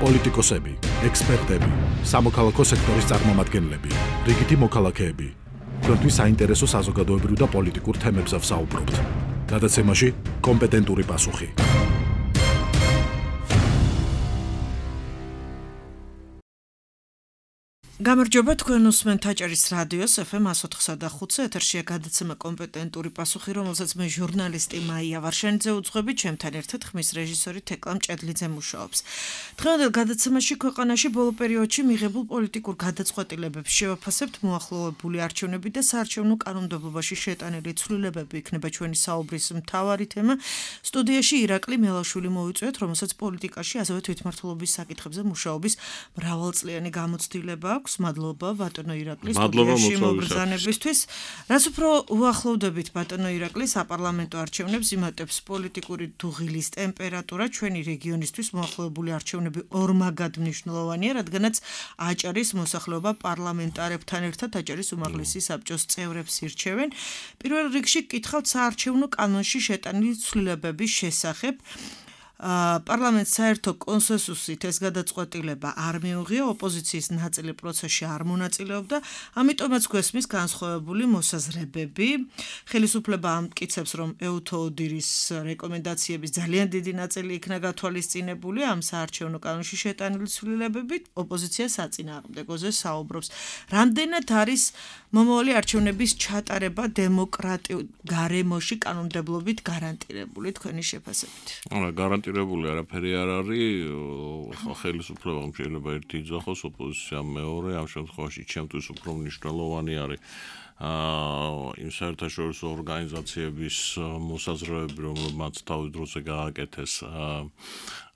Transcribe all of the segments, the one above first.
პოლიტიკოსები, ექსპერტები, სამოქალაქო სექტორის წარმომადგენლები, რიგითი მოქალაქეები. Თქვენთვის საინტერესო საზოგადოებრივ და პოლიტიკურ თემებზე ვსაუბრობთ. გადაცემაში კომპეტენტური პასუხი. გამარჯობა, თქვენ უსმენთ აჭარის რადიოს FM 104.5 ეთერშია გადაცემა კომპეტენტური პასუხი, რომელსაც მე ჟურნალისტი მაია ვარშენიძე უძღვები, ჩემთან ერთად ხმის რეჟისორი თეკლა მჭედლიძე მუშაობს. დღევანდელ გადაცემაში ქვეყანაში ბოლო პერიოდში მიღებულ პოლიტიკურ გადაწყვეტილებებს შევაფასებთ, მოახლოვებული არჩევნები და საარჩევნო კანონმდებლობაში შეტანილი ცვლილებები იქნება ჩვენი საუბრის მთავარი თემა. სტუდიაში ირაკლი მელაშვილი მოვიწვიეთ, რომელსაც პოლიტიკაში, ასევე თვითმმართველობის საკითხებზე მუშაობის მრავალწლიანი გამოცდილება აქვს. Madloba, ბატონო ირაკლი, სტუდიაში მოგზაურობისთვის. რაც უფრო უახლოვდებით ბატონო ირაკლი საპარლამენტო არჩევნებს, იმატებს პოლიტიკური დუღილის ტემპერატურა ჩვენი რეგიონისთვის მოახლოვებული არჩევნები ორმაგად მნიშვნელოვანია, რადგანაც აჭარის მოსახლეობა პარლამენტარებთან ერთად აჭარის უმაღლესი საბჭოს წევრებს ირჩევენ. პირველ რიგში გკითხავთ საარჩევნო კანონში შეტანილი ცვლილებების შესახებ. პარლამენტს საერთო კონსენსუსით ეს გადაწყვეტილება არ მიუღია, ოპოზიციის ნაწილი პროცესში არ მონაწილეობდა, ამიტომაც გვესმის განსხვავებული მოსაზრებები. ხელისუფლება ამტკიცებს, რომ ეუთოოდირის რეკომენდაციების ძალიან დიდი ნაწილი იქნა გათვალისწინებული ამ საარჩევნო კანონში შეტანილი ცვლილებებით, ოპოზიცია საწინააღმდეგოზე საუბრობს. რამდენად არის მომავალი არჩევნების ჩატარება დემოკრატიულ გარემოში კანონმდებლობით გარანტირებული თქვენი შეფასებით? გარანტირებული არაფერი არ არის, ხელისუფლებამ შეიძლება ერთი იძახოს, ოპოზიციამ მეორე, ამ შემთხვევაში ჩემთვის უფრო მნიშვნელოვანი არის იმ საერთაშორისო ორგანიზაციების მოსაზრებები, რომლებმაც თავის დროზე გააკეთეს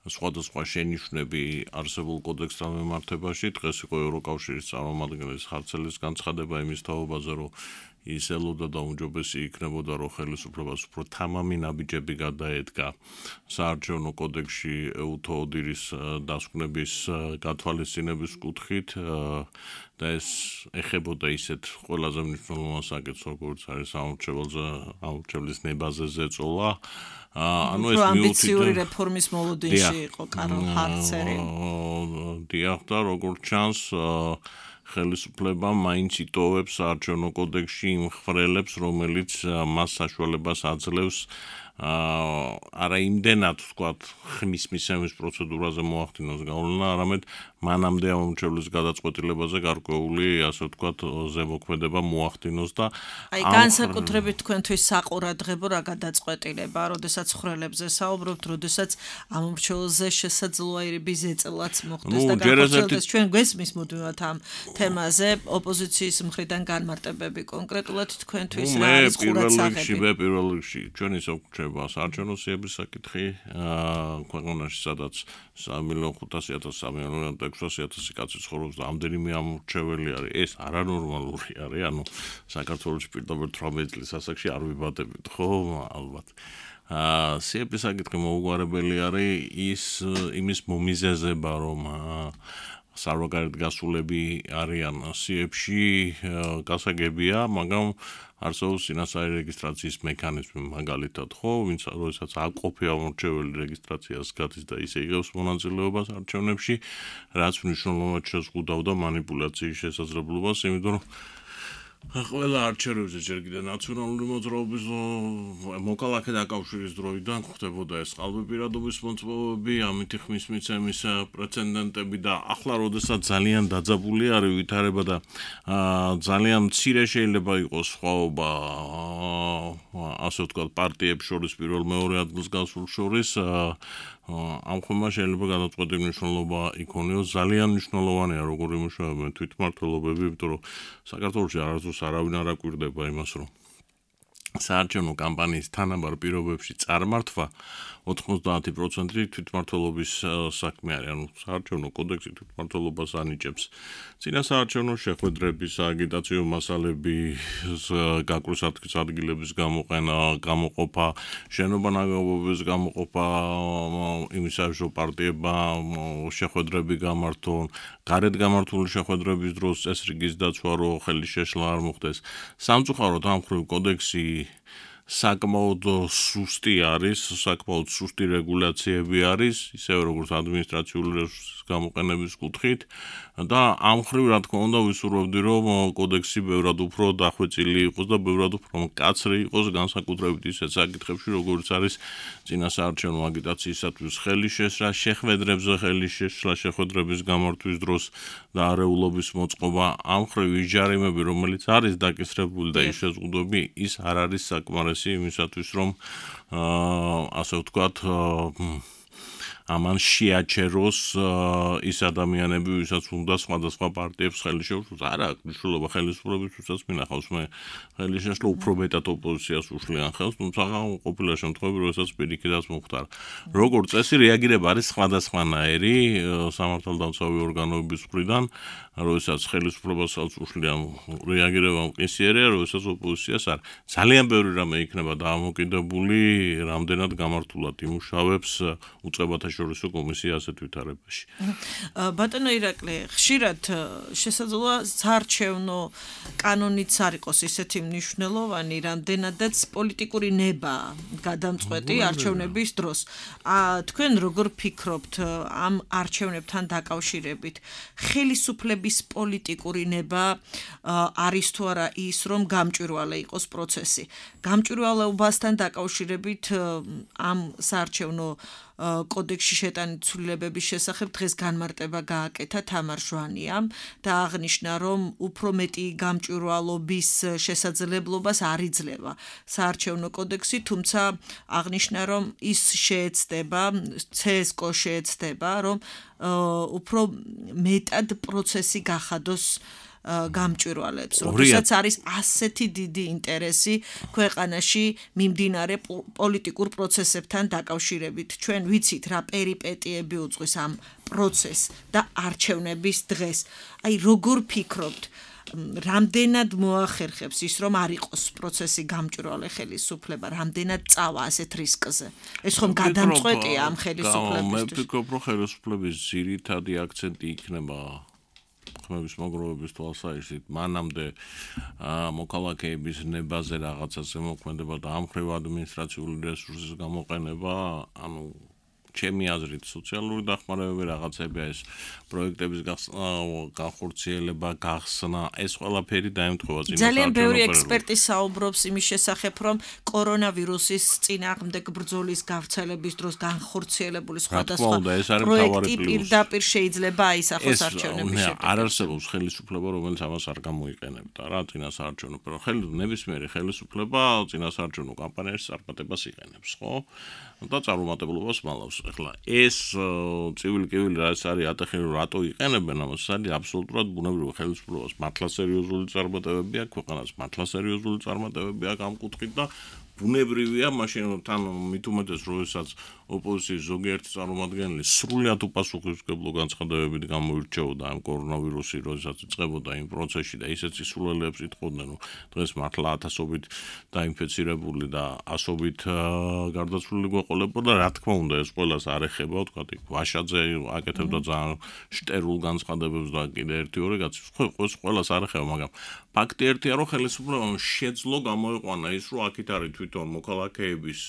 სხვადასხვა შენიშვნები არსებულ კოდექსთან მიმართებაში. დღეს იყო ევროკავშირის წარმომადგენლის ხარცელის განცხადება იმის თაობაზე, რომ ის ელოდა და უმჯობესი იქნებოდა, რომ ხელისუფლებას უფრო თამამი ნაბიჯები გადაედგა საარჩევნო კოდექსში ეუთოოდირის დასკვნების გათვალისწინების კუთხით და ეს ეხებოდა ისეთ ყველაზე მნიშვნელოვან საკითხს, როგორც არის ამორჩევლის ნებაზე ზეწოლა. ანუ ეს ამბიციური რეფორმის მოლოდინში იყო კარლ ჰარცერი. დიახ, და როგორც ჩანს ხელისუფლება მაინც იტოვებს საარჩევნო კოდექსში იმ ხვრელებს, რომელიც მას საშუალებას აძლევს არა იმდენად ვთქვათ ხმის მისცემის პროცედურაზე მოახდინოს გავლენა, არამედ მანამდე ამორჩევლის გადაწყვეტილებაზე გარკვეული, ასე ვთქვათ, ზემოქმედება მოახდინოს და აი განსაკუთრებით თქვენთვის საყურადღებო რა გადაწყვეტილება, როდესაც ხვრელებზე საუბრობთ, როდესაც ამორჩევლზე შესაძლოა ზეწოლაც მოხდეს და განსაკუთრებით ჩვენ გვესმის მუდმივად ამ თემაზე ოპოზიციის მხრიდან განმარტებები კონკრეტულად თქვენთვის რა არის ყურადსაღები? მე პირველ რიგში ჩვენ ისე გვჩება საარჩევნო სიების საკითხი ქვეყანაში, სადაც 3.500.000 კაცი ცხოვრობს და ამდენიმე ამორჩეველი არის. ეს არანორმალური არის, ანუ საქართველოში პირდაპირ 18 წლის ასაკში არ ვიბადებით, ხო, ალბათ. სიების საკითხი მოუგვარებელი არის იმის მომიზეზება, რომ სარვაგარეთ გასულები არიან სიებში გასაგებია, მაგრამ არსებობს წინასწარი რეგისტრაციის მექანიზმი, მაგალითად, ხო, ვინც როდესაც აკოფი ამორჩეველი რეგისტრაციას გადის და ისე იღებს მონაწილეობას არჩევნებში, რაც მნიშვნელოვნად შეზღუდავდა მანიპულაციის შესაძლებლობას, იმიტომ რომ ყველა არჩევნებზე ჯერ კიდევ ნაციონალური მოძრაობის მოქალაქე დაკავშირის დროიდან ხდებოდა ეს ყალბიპირადობის მოწმობები, ამითი ხმის მიცემის პრეცედენტები და ახლა როდესაც ძალიან დაძაბული არის ვითარება და ძალიან მცირე შეიძლება იყოს სხვაობა ასე ვთქვათ პარტიებს შორის პირველ მეორე ადგილს გასულ შორის ამ ხმა შეიძლება გადაწყვეტილი მნიშვნელობა იქონიოს. ძალიან მნიშვნელოვანია როგორ იმუშავებენ თვითმმართველობები, იმიტომ რომ საქართველოში არასდროს არავინ არ აკვირდება იმას, რომ საარჩევნო კამპანიის თანაბარ პირობებში წარმართვა 90% თვითმმართველობის საქმე არის, ანუ საარჩევნო კოდექსი თვითმმართველობას ანიჭებს. წინა საარჩევნო შეხვედრების, აგიტაციო მასალების, გაკვრის ადგილების გამოყენა, გამოყოფა, შენობა ნაგებობების გამოყოფა, იმის საერთო პარტიებმა შეხვედრები გამართონ, გარეთ გამართული შეხვედრების დროს წესრიგის დაცვა, რომ ხელის შეშლა არ მოხდეს. სამწუხაროდ ამ მხრივ კოდექსი საკმაოდ სუსტი არის, საკმაოდ სუსტი რეგულაციები არის, ისევე როგორც ადმინისტრაციული რესურსის გამოყენების კუთხით და ამ მხრივ რა თქმა უნდა ვისურვებდი რომ კოდექსი ბევრად უფრო დახვეწილი იყოს და ბევრად უფრო მკაცრი იყოს განსაკუთრებით ისეთ საკითხებში როგორც არის წინასაარჩევნო აგიტაციისათვის ხელის შესრა, შეხვედრებზე ხელის შესრა, შეხვედრების გამართვის დროს და არეულობის მოწყობა ამ მხრივ ის ჯარიმები რომელიც არის დაკისრებული და ის შეზღუდვები ის არ არის საკმარისი იმისათვის რომ ასე ვთქვათ ამან შეაჩეროს ის ადამიანები, ვისაც უნდა სხვადასხვა პარტიებს ხელი შეუშვოს. არა აქვს მნიშვნელობა ხელისუფლებისთვისაც მინახავს მე ხელი შეშლა უფრო მეტად ოპოზიციას უშლიან ხელს, თუმცა ყოფილა შემთხვევები, როდესაც პირიქითაც მოხდარა. როგორც წესი, რეაგირება არის სხვადასხვანაირი სამართალდამცავი ორგანოების მხრიდან, როდესაც ხელისუფლებას ხელს უშლიან რეაგირება მყისიერია, როდესაც ოპოზიციას არ. ძალიან ბევრი რამე იქნება დაამოკიდებული, რამდენად გამართულად იმუშავებს უწყებათა შორისო კომისია ასეთ ვითარებაში. ბატონო ირაკლი, ხშირად შესაძლოა საარჩევნო კანონიც არ იყოს ისეთი მნიშვნელოვანი, რამდენადაც პოლიტიკური ნება გადამწყვეტი არჩევნების დროს. თქვენ როგორ ფიქრობთ ამ არჩევნებთან დაკავშირებით? ხელისუფლების პოლიტიკური ნება არის თუ არა ის, რომ გამჭვირვალე იყოს პროცესი? გამჭვირვალეობასთან დაკავშირებით ამ საარჩევნო კოდექსში შეტანილი ცვლილებების შესახებ დღეს განმარტება გააკეთა თამარ ჟვანიამ და აღნიშნა, რომ უფრო მეტი გამჭვირვალობის შესაძლებლობას არ იძლევა საარჩევნო კოდექსი, თუმცა აღნიშნა, რომ ის შეეცდება, CSKO შეეცდება, რომ უფრო მეტად პროცესი გახადოს გამჭვირვალეებს, როდესაც არის ასეთი დიდი ინტერესი ქვეყანაში მიმდინარე პოლიტიკურ პროცესებთან დაკავშირებით. ჩვენ ვიცით რა პერიპეტიები უძღვის ამ პროცესს და არჩევნების დღეს. აი როგორ ფიქრობთ, რამდენად მოახერხებს ის, რომ არ იყოს პროცესი გამჭვირვალე ხელისუფლება, რამდენად წავა ასეთ რისკზე? ეს ხომ გადამწყვეტია ამ ხელისუფლებისთვის. მე ვფიქრობ, რომ ხელისუფლების ძირითადი აქცენტი იქნება ხმების მოგროვების თვალსაჩინო მანამდე მოქალაქეების ნებაზე რაღაცაზე მოქმედება და ამ მხრივ ადმინისტრაციული რესურსის გამოყენება, ანუ ჩემი აზრით სოციალური დახმარებები რაღაცებია ეს პროექტების განხორციელება, გახსნა, ეს ყველაფერი დაემთხვევა წინასაარჩევნო ძალიან ბევრი ექსპერტი საუბრობს იმის შესახებ, რომ კორონავირუსის წინააღმდეგ ბრძოლის გავრცელების დროს განხორციელებული სხვადასხვა პროექტი პირდაპირ შეიძლება აისახოს არჩევნების შედეგად. არ არსებობს ხელისუფლება, რომელიც ამას არ გამოიყენებდა რა წინასაარჩევნო ნებისმიერი ხელისუფლება წინასაარჩევნო კამპანიაში წარმატებას იყენებს, ხო? და წარუმატებლობას მალავს. ეხლა ეს წივილ-კივილი რაც არის ატეხილი რატო იყენებენ ამას, არის აბსოლუტურად ბუნებრივი ხელისუფლებას მართლა სერიოზული წარმატებები აქვს, ქვეყანას მართლა სერიოზული წარმატებები აქვს ამ კუთხით და ბუნებრივია მაშინ თან მით უმეტეს როდესაც ოპოზიციის ზოგიერთი წარმომადგენელი სრულად უპასუხისმგებლო განცხადებებით გამოირჩეოდა ამ კორონავირუსის როდესაც იწყებოდა იმ პროცესში და ისეთ სისულელეებს იტყოდნენ, რომ დღეს მართლა ათასობით დაინფეცირებული და ასობით გარდაცვლილი გვეყოლებოდა, რა თქმა უნდა ეს ყველას არ ეხება, ვთქვათ, ვაშაძე აკეთებდა ძალიან შტერულ განცხადებებს და კიდე ერთი-ორი კაცი ყველას არ ეხება, მაგრამ ფაქტი ერთია, რომ ხელისუფლებამ შეძლო გამოიყვანა ის, რომ აქეთ არის თვითონ მოქალაქეების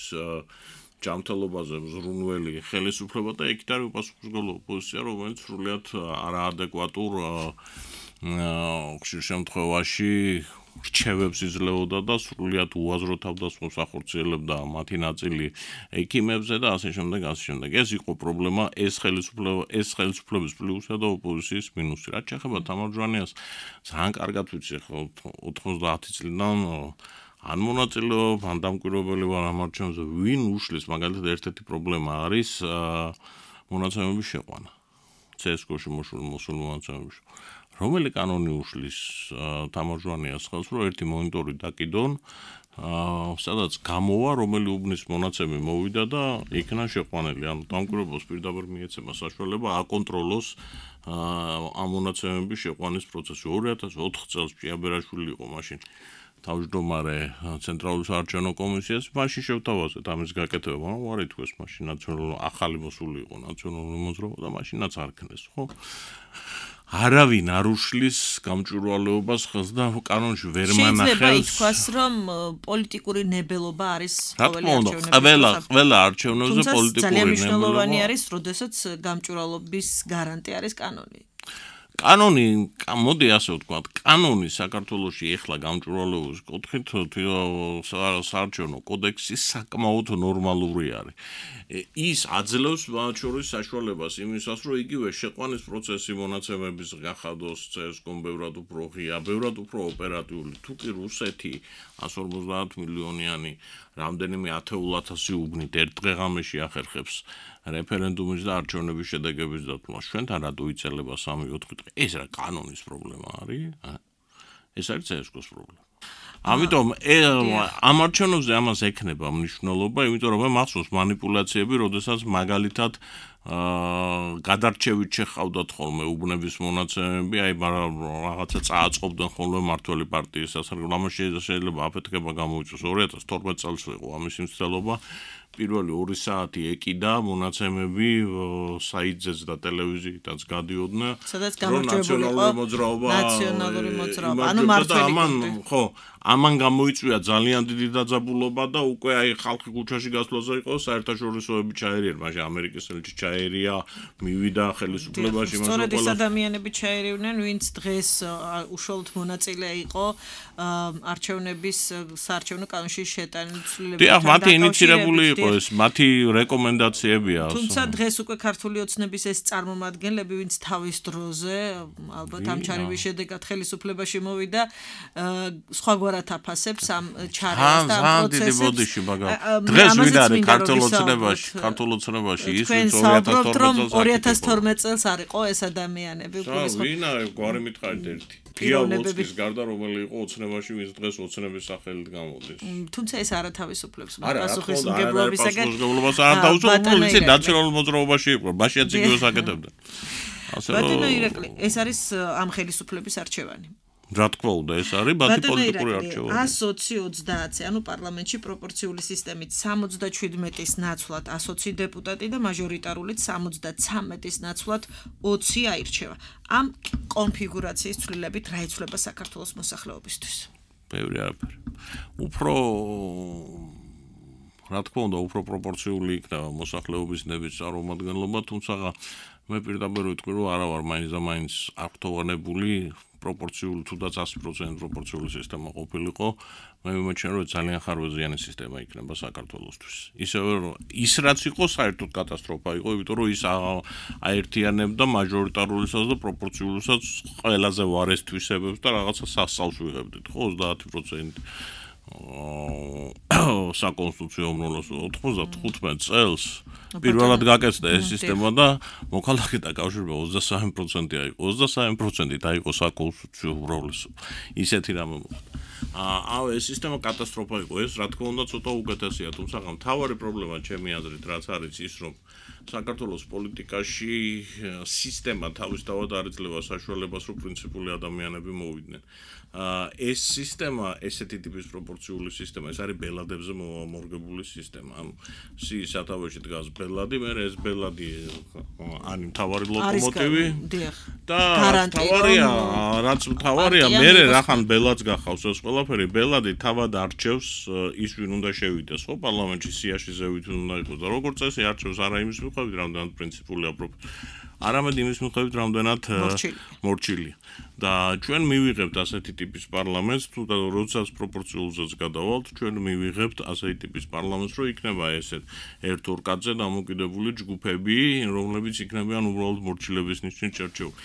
ჯანმრთელობაზე მზრუნველი ხელისუფლება და იქით არის უპასუხისმგებლო ოპოზიცია, რომელიც სრულიად არაადეკვატურ ხშირ შემთხვევაში რჩევებს იძლეოდა და სრულიად უაზრო თავდასხმას ახორციელებდა მათი ნაწილი ექიმებზე და ასე შემდეგ, ასე შემდეგ. ეს იყო პრობლემა, ეს ხელისუფლების პლუსია და ოპოზიციის მინუსი. რაც შეეხება თამარ ჟვანიას, ძალიან კარგად ვიცი, 90 წლიდან ან მონაწილეობ, ან დამკვირვებელი ვარ ამ არჩევნებზე, ვინ უშლის, მაგალითად ერთ-ერთი პრობლემა არის მონაცემების შეყვანა. CSKO-ში მოსული მონაცემების. რომელი კანონი უშლის თამარ ჟვანიას ხელს, რომ ერთი მონიტორი დაკიდონ, სადაც გამოვა, რომელი უბნის მონაცემი მოვიდა და იქნა შეყვანილი. ანუ დამკვირვებელს პირდაპირ მიეცემა საშუალება აკონტროლოს ამ მონაცემების შეყვანის პროცესი. 2004 წელს ჭიაბერაშვილი იყო მაშინ თავმჯდომარე ცენტრალური საარჩევნო კომისიას, მაშინ შევთავაზეთ ამის გაკეთება, მაგრამ არ ითქვეს მაშინ ახალი მოსული იყო ნაციონალური მოძრაობა და მაშინაც არ ქნეს, ხო? არავინ არ უშლის გამჭვირვალეობას ხელს და კანონში ვერ მანახავს. შეიძლება ითქვას, რომ პოლიტიკური ნებელობა არის ყველა არჩევნებზე პოლიტიკური ძალიან ნებელობა. მნიშვნელოვანი არის, როდესაც გამჭვირვალობის გარანტი არის კანონი. კანონი, მოდი ასე ვთქვათ, კანონი საქართველოში ეხლა გამჭვირვალეობის კუთხით საარჩევნო კოდექსი საკმაოდ ნორმალური არის. ის აძლევს მათ შორის საშუალებას იმისას, რომ იგივე შეყვანის პროცესი მონაცემების გახადოს CSGO-მ ბევრად უფრო ღია, ბევრად უფრო ოპერატიული, თუ კი რუსეთი 150 მილიონიანი რამდენიმე 10,000 უბნით ერთ დღე-ღამეში ახერხებს რეფერენდუმის და არჩევნების შედეგების დათვლას. ჩვენთან რატო იცელება 3-4 დღე? ეს რა კანონის პრობლემა არის? ეს არის CSGO-ს პრობლემა. ამიტომ ამ არჩევნებზე ამას ექნება მნიშვნელობა, იმიტომ რომ მახსოვს манипуляციები, როდესაც მაგალითად გადარჩევით შეჰყავდათ ხოლმე უბნების მონაცემები, აი რაღაცა წააწყობდნენ ხოლმე მართველი პარტიის სასარგებლო. ამაში შეიძლება აფეთქება გამოიწვიოს 2012 წელს იყო ამის მცდელობა. პირველი 2 საათი ეკიდა მონაცემები საიტზეც და ტელევიზიითაც გადიოდნენ. სადაც გამარჯვებული იყო ნაციონალური მოძრაობა. ანუ მართველი ხო, ამან გამოიწვია ძალიან დიდი დაძაბულობა და უკვე აი ხალხი ქუჩაში გასვლაზე იყო საერთაშორისოები ჩაერია, მაშინ ამერიკის ელჩი ჩაერია, მივიდა ხელისუფლებაში მას სწორედ ეს ადამიანები ჩაერივნენ, ვინც დღეს უშუალოდ მონაწილე იყო არჩევნების საარჩევნო კანონში შეტანილი ცვლილებებთან. დიახ, მათი ინიცირებული იყო ეს, მათი რეკომენდაციებია. თუმცა დღეს უკვე ქართული ოცნების ეს წარმომადგენლები, ვინც თავის დროზე ალბათ ამ ჩარევის შედეგად ხელისუფლებაში მოვიდა, სხვაგვარად აფასებს ამ ჩარევას და ამ პროცესებს. დღეს ვინ არის ქართულ ოცნებაში ის ვინც 2012 წელს არ იყო ეს ადამიანები. ვინ არის გვარი მითხარით ერთი. გიაუოცკის გარდა რომელი იყო ოცნებაში, ვინც დღეს ოცნების სახელით გამოდის. თუმცა ეს არ ათავისუფლებს პასუხისმგებლობისაგან. ისე ნაციონალურ მოძრაობაში იყო, მაშინაც იგივე საკეთებდა. ბატონო ირაკლი, ეს არის ამ ხელისუფლების არჩევანი. რა თქმა უნდა, ეს არის მათი პოლიტიკური არჩევანი. 120-30, ანუ პარლამენტში პროპორციული სისტემით 77-ის ნაცვლად 120 დეპუტატი და მაჟორიტარულით 73-ის ნაცვლად 20 აირჩევა. ამ კონფიგურაციის ცვლილებით რა იცვლება საქართველოს მოსახლეობისთვის? ბევრი არაფერი. უფრო რა თქმა უნდა, უფრო პროპორციული იქნება მოსახლეობის ნების წარმომადგენლობა, თუმცა მე პირდაპირ ვიტყვი, რომ არა ვარ მაინც და მაინც აქტოვანებული პროპორციული თუნდაც 100% პროპორციული სისტემა ყოფილიყო, მე მიმოჩნია, რომ ძალიან ხარვეზიანი სისტემა იქნება საქართველოსთვის. ისევე რომ ის რაც იყო საერთოდ კატასტროფა იყო, იმიტომ რომ ის აერთიანებდა მაჟორიტარულისაც და პროპორციულსაც ყველაზე ვარეს თვისებებს და რაღაცა სასწაულს ვიღებდით, ხო, 30% საკონსტიტუციო უმრავლეს 95 წელს პირველად გაკეთდა ეს სისტემა და მოქალაქეთა კავშირმა 23% აიყო. 23%-ით აიყო საკონსტიტუციო უმრავლესობა. ისეთი რამე მოხდა. ეს სისტემა კატასტროფა იყო. ეს რა თქმა უნდა ცოტა უკეთესია, თუმცა მთავარი პრობლემა ჩემი აზრით რაც არის ის, რომ საქართველოს პოლიტიკაში სისტემა თავისთავად არ იძლევა საშუალებას, რომ პრინციპული ადამიანები მოვიდნენ. ეს სისტემა, ესეთი ტიპის პროპორციული სისტემა, ეს არის ბელადებზე მორგებული სისტემა. ანუ სიის სათავეში დგას ბელადი, მე ეს ბელადი არის მთავარი ლოკომოტივი და რაც მთავარია, მე რახან ბელადს გახავს ეს ყველაფერი, ბელადი თავად არჩევს ის ვინ უნდა შევიდეს, ხო, პარლამენტში სიაში ზევით უნდა იყოს და როგორც წესი არჩევს არა იმის მიხედვით, რამდენად პრინციპულია არამედ იმის მიხედვით, რამდენად მორჩილია. და ჩვენ მივიღებთ ასეთი ტიპის პარლამენტს, თუ და როდესაც პროპორციულზეც გადავალთ, ჩვენ მივიღებთ ასეთი ტიპის პარლამენტს, რომ იქნება ესეთ ერთ-ორ კაცზე დამოკიდებული ჯგუფები, რომლებიც იქნებიან უბრალოდ მორჩილების ნიშნით შერჩეული.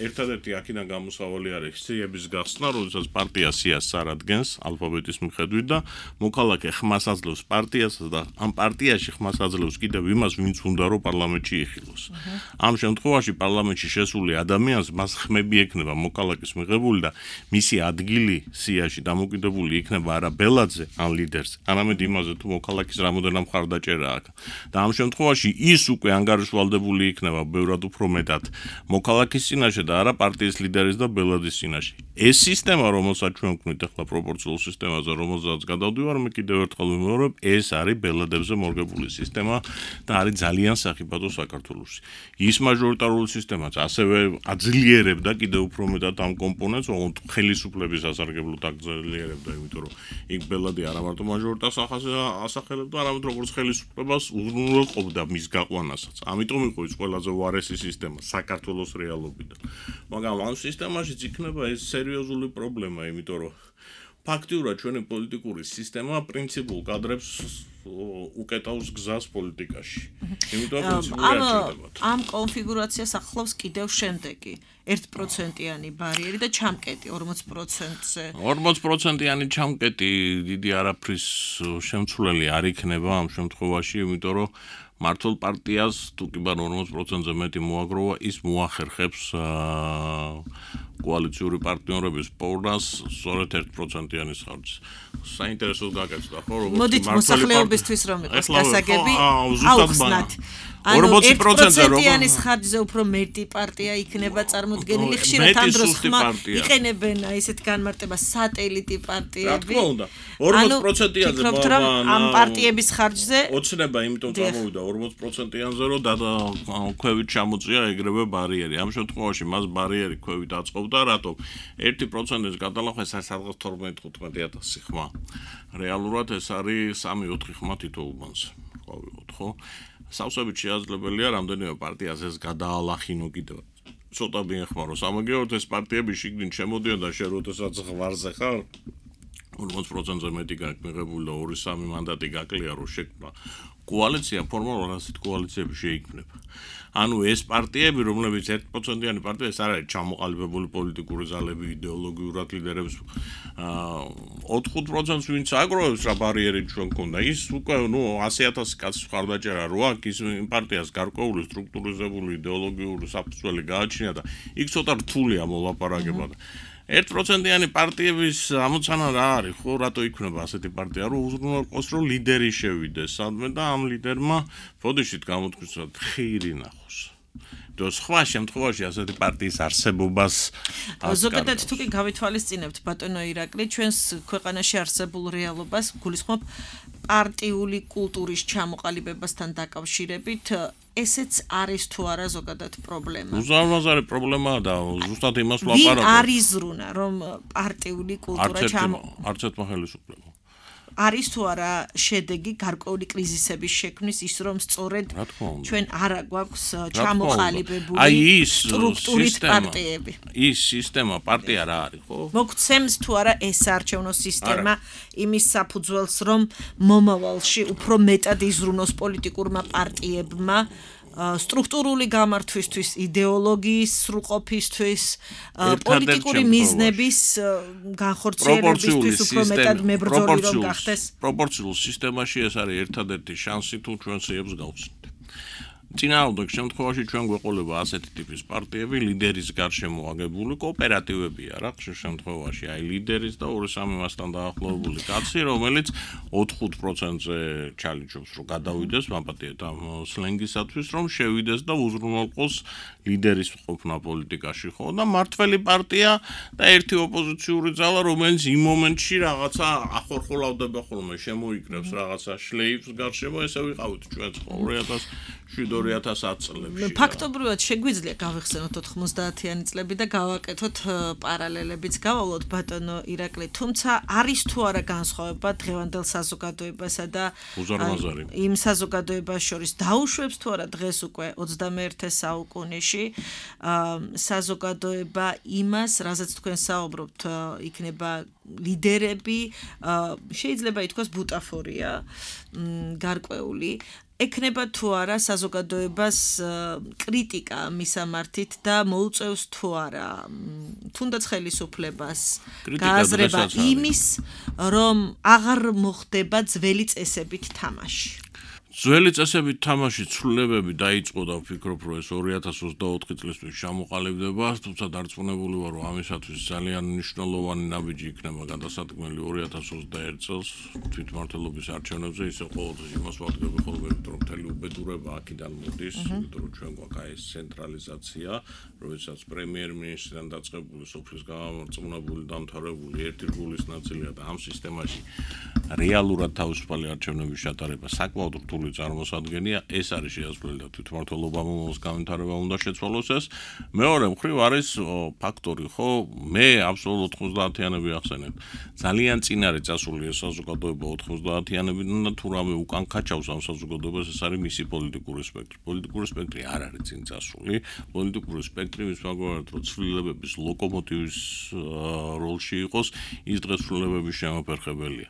ერთადერთი აქედან გამოსავალი არის სიების გახსნა, როდესაც პარტია სიას წარადგენს ალფაბეტის მიხედვით და მოქალაქე ხმას აძლევს პარტიას და ამ პარტიაში ხმას აძლევს კიდევ იმას, ვინც უნდა რომ პარლამენტში იხილოს. ამ შემთხვევაში პარლამენტში შესული ადამიანს მას ხმები ექნება მოქალაქის მიღებული და მისი ადგილი სიაში დამოკიდებული იქნება არა ბელადზე ან ლიდერზე, არამედ იმაზე თუ მოქალაქის რამოდენიმე მხარდაჭერა აქვს. და ამ შემთხვევაში ის უკვე ანგარიშვალდებული იქნება ბევრად უფრო მეტად მოქალაქის წინაშე და არა პარტიის ლიდერის და ბელადის წინაშე. ეს სისტემა, რომელსაც ჩვენ ვქმნით ახლა პროპორციულ სისტემაზე, რომელსაც გადავდივარ, მე კიდევ ერთხელ ვიმეორებ, ეს არის ბელადებზე მორგებული სისტემა და არის ძალიან სახიფათო საქართველოში. პლუსი. ის მაჟორიტარული სისტემაც ასევე აძლიერებდა კიდევ უფრო მეტად ამ კომპონენტს, ოღონდ ხელისუფლების ასარგებლოდ აძლიერებდა, იმიტომ რომ იქ ბელადი არა მარტო მაჟორიტარს ასახელებდა, არამედ როგორც ხელისუფლებას უზრუნველყოფდა მის გაყვანასაც. ამიტომ იყო ის ყველაზე უარესი სისტემა საქართველოს რეალობიდან. მაგრამ ამ სისტემაშიც იქნება ეს სერიოზული პრობლემა, იმიტომ რომ ფაქტიურად ჩვენი პოლიტიკური სისტემა პრინციპულ კადრებს უკეთავს გზას პოლიტიკაში. იმიტომ ამ კონფიგურაციას ახლავს კიდევ შემდეგი 1%-იანი ბარიერი და ჩამკეტი 40%-ზე. 40%-იანი ჩამკეტი დიდი არაფრის შემცვლელი არ იქნება ამ შემთხვევაში, იმიტომ რომ მართლ პარტიას თუ კი ბარ 40%-ზე მეტი მოაგროვა, ის მოახერხებს კოალიციური პარტნიორების პოვნას სწორედ 1%-იანი ხარჯს. საინტერესოდ გაკეთდა, ხო, როგორც მოდით მოსახლეობისთვის რომ იყოს გასაგები, აუხსნათ. 40%-იანი ხარჯზე უფრო მეტი პარტია იქნება წარმოდგენილი, ხშირად ამ დროს იყენებენ ესეთ განმარტებას სატელიტი პარტიები. რა თქმა უნდა, 40%-იანზე ამ პარტიების ხარჯზე ოცნება, იმიტომ წამოვიდა 40%-იანზე, რომ ქვევით ჩამოწია ეგრევე ბარიერი. ამ შემთხვევაში მას ბარიერი ქვევით აწყობდა, რატომ 1%-ის გადალახვა ეს არის სადღაც 12-15,000 ხმა. რეალურად ეს არის 3-4 ხმა თითო უბანს. ყავიყოთ, ხო? სავსებით შეაძლებელია რამდენიმე პარტიას ეს გადაალახინო კიდევ. ცოტა მიეხმარო სამაგიეროდ ეს პარტიები შიგნით შემოდიან და შენ როდესაც ღვარზე ხარ 40%-ზე მეტი გაქვს მიღებული და 2-3 მანდატი გაკლია რომ შექმნა კოალიცია, ფორმალურად ასეთ კოალიციები შეიქმნება. ანუ ეს პარტიები, რომლებიც 1%-იანი პარტია, ეს არ არის ჩამოყალიბებული პოლიტიკური ძალები, იდეოლოგიურად ლიდერებს 4-5%-ს ვინც აგროვებს რა ბარიერი ჩვენ გქონდა. ის უკვე 100,000 კაცს ხარდაჭერა რო აქვს, ის პარტიას გარკვეული სტრუქტურიზებული იდეოლოგიური საფუძველი გააჩნია და იქ ცოტა რთულია მოლაპარაკება. 1%-იანი პარტიების ამოცანა რა არის, ხო, რატო იქნება ასეთი პარტია, რომ უზრუნველყოს, რომ ლიდერი შევიდეს სადმე და ამ ლიდერმა ბოდიშით გამოთქვისოთ ხირი ნახოს. და სხვა შემთხვევაში ასეთი პარტიის არსებობას ზოგადად თუ კი გავითვალისწინებთ ბატონო ირაკლი, ჩვენს ქვეყანაში არსებულ რეალობას გულისხმობ პარტიული კულტურის ჩამოყალიბებასთან დაკავშირებით ესეც არის თუ არა ზოგადად პრობლემა. უზარმაზარი პრობლემაა და ზუსტად იმას ვლაპარაკობ. ვინ არის ზრუნა, რომ პარტიული კულტურა არც ერთმა ხელისუფლებამ. არის თუ არა შედეგი გარკვეული კრიზისების შექმნის ის რომ სწორედ ჩვენ არა გვაქვს ჩამოყალიბებული სტრუქტურით პარტიები. ის სისტემა პარტია რა არის, ხო? მოგცემს თუ არა ეს საარჩევნო სისტემა იმის საფუძველს რომ მომავალში უფრო მეტად იზრუნოს პოლიტიკურმა პარტიებმა სტრუქტურული გამართვისთვის, იდეოლოგიის სრულყოფისთვის, პოლიტიკური მიზნების განხორციელებისთვის უფრო მეტად მებრძოლი რომ გახდეს. პროპორციულ სისტემაში ეს არის ერთადერთი შანსი თუ ჩვენ სიებს გავხსნით. წინააღმდეგ შემთხვევაში ჩვენ გვეყოლება ასეთი ტიპის პარტიები, ლიდერის გარშემო აგებული კოოპერატივებია რა, ხშირ შემთხვევაში აი ლიდერის და 2-3 მასთან დაახლოებული კაცი, რომელიც 4-5%-ზე ჩალიჩობს, რომ გადავიდეს მაპატიეთ ამ სლენგისათვის, რომ შევიდეს და უზრუნველყოს ლიდერის ყოფნა პოლიტიკაში, ხო? და მართველი პარტია და ერთი ოპოზიციური ძალა, რომელიც იმ მომენტში რაღაცა ახორხოლავდება ხოლმე, შემოიკრებს რაღაცა შლეიფს გარშემო, ესე ვიყავით ჩვენც 2007-2010 წლებში. ფაქტობრივად შეგვიძლია გავიხსენოთ 90-იანი წლები და გავაკეთოთ პარალელებიც გავავლოთ ბატონო ირაკლი, თუმცა არის თუ არა განსხვავება დღევანდელ საზოგადოებასა და იმ საზოგადოებას შორის დაუშვებს თუ არა დღეს უკვე 21 საუკუნეში საზოგადოება იმას, რაზეც თქვენ საუბრობთ, იქნება ლიდერები, შეიძლება ითქვას ბუტაფორია, გარკვეული ეკნება თუ არა საზოგადოებას კრიტიკა მისამართით და მოუწევს თუ არა თუნდაც ხელისუფლებას გააზრება იმის, რომ აღარ მოხდება ძველი წესებით თამაში. ძველი წესებით თამაში ცვლილებები დაიწყო და ვფიქრობ, რომ ეს 2024 წლისთვის ჩამოყალიბდება, თუმცა დარწმუნებული ვარ, რომ ამისათვის ძალიან მნიშვნელოვანი ნაბიჯი იქნება გადასადგმელი 2021 წელს თვითმმართველობის არჩევნებზე, ისე ყოველთვის იმას ვადგები ხოლმე, რომ მთელი უბედურება აქედან მოდის, იმიტომ რომ ჩვენ გვაქვს ეს ცენტრალიზაცია, როდესაც პრემიერ-მინისტრიდან დაწყებული სოფლის გამარწმუნებული დამთავრებული ერთი გულის ნაწილია და ამ სისტემაში რეალურად თავისუფალი არჩევნების ჩატარება საკმაოდ რთული კონკრეტული წარმოსადგენია, ეს არის შეასრულებელი და თვითმმართველობამ მომავალ განვითარება უნდა შეცვალოს ეს. მეორე მხრივ არის ფაქტორი, ხო, მე აბსოლუტურად 90-იანები ახსენებ. ძალიან წინარე წასული ეს საზოგადოება 90-იანებიდან და თუ რამე უკან ქაჩავს ამ საზოგადოებას, ეს არის მისი პოლიტიკური სპექტრი. პოლიტიკური სპექტრი არ არის წინ წასული. პოლიტიკური სპექტრი მის მაგალითად რო ცვლილებების ლოკომოტივის როლში იყოს, ის დღეს ცვლილებების შემოფერხებელია.